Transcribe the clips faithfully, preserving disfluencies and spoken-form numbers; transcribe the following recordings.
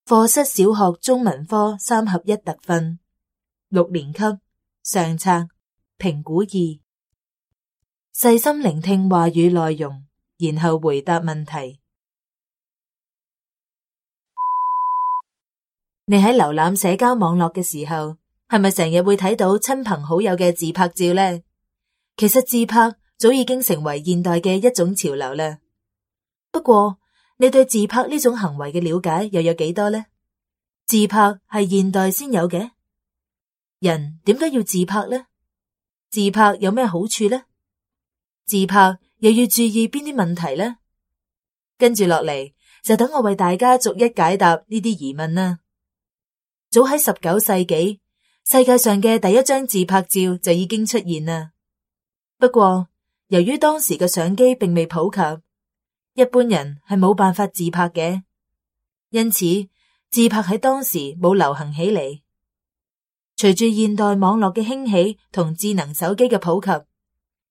課室小學中文科三合一特訓，六年級上冊評估二，細心聆聽話語內容，然後回答問題。你喺瀏覽社交網絡嘅時候，係咪成日會睇到親朋好友嘅自拍照呢？其實自拍早已經成為現代嘅一種潮流啦。不過，你對自拍呢種行為嘅了解又有幾多呢？自拍係現代先有嘅，人點解要自拍呢？自拍有咩好處呢？自拍又要注意邊啲問題呢？跟住落嚟就等我為大家逐一解答呢啲疑問啦。早喺十九世紀，世界上嘅第一張自拍照就已經出現啦。不過，由於當時嘅相機並未普及，一般人係冇辦法自拍嘅，因此自拍喺當時冇流行起嚟。隨住現代網絡嘅興起同智能手機嘅普及，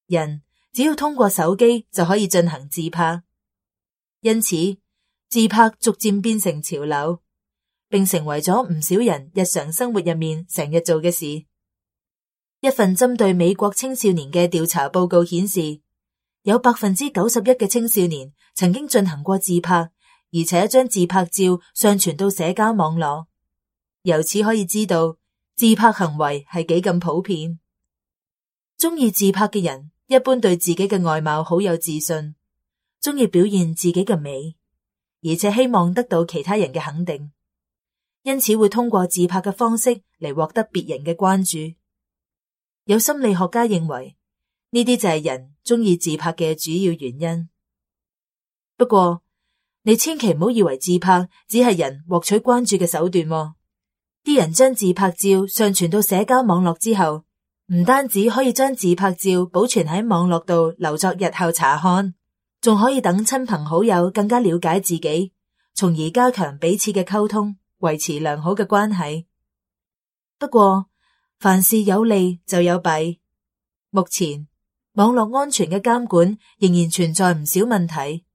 人只要通過手機就可以進行自拍，因此自拍逐漸變成潮流，並成為咗唔少人日常生活入面成日做嘅事。一份針對美國青少年嘅調查報告顯示，有百分之九十一嘅青少年曾經進行過自拍，而且將自拍照上傳到社交網絡。由此可以知道，自拍行為係幾咁普遍。中意自拍嘅人一般對自己嘅外貌好有自信，中意表現自己嘅美，而且希望得到其他人嘅肯定，因此會通過自拍嘅方式嚟獲得別人嘅關注。有心理學家認為，呢啲就係人中意自拍嘅主要原因。不過，你千祈唔好以為自拍只係人獲取關注嘅手段喎。啲人將自拍照上傳到社交網絡之後，唔單止可以將自拍照保存喺網絡度留作日後查看，仲可以等親朋好友更加了解自己，從而加強彼此嘅溝通，維持良好嘅關係。不過，凡事有利就有弊。目前，網絡安全嘅監管仍然存在唔少問題。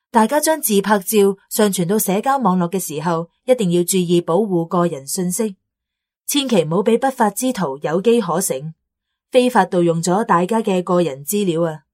大家將自拍照上傳到社交網絡嘅時候，一定要注意保護個人信息，千祈唔好俾不法之徒有機可乘，非法盜用咗大家嘅個人資料啊！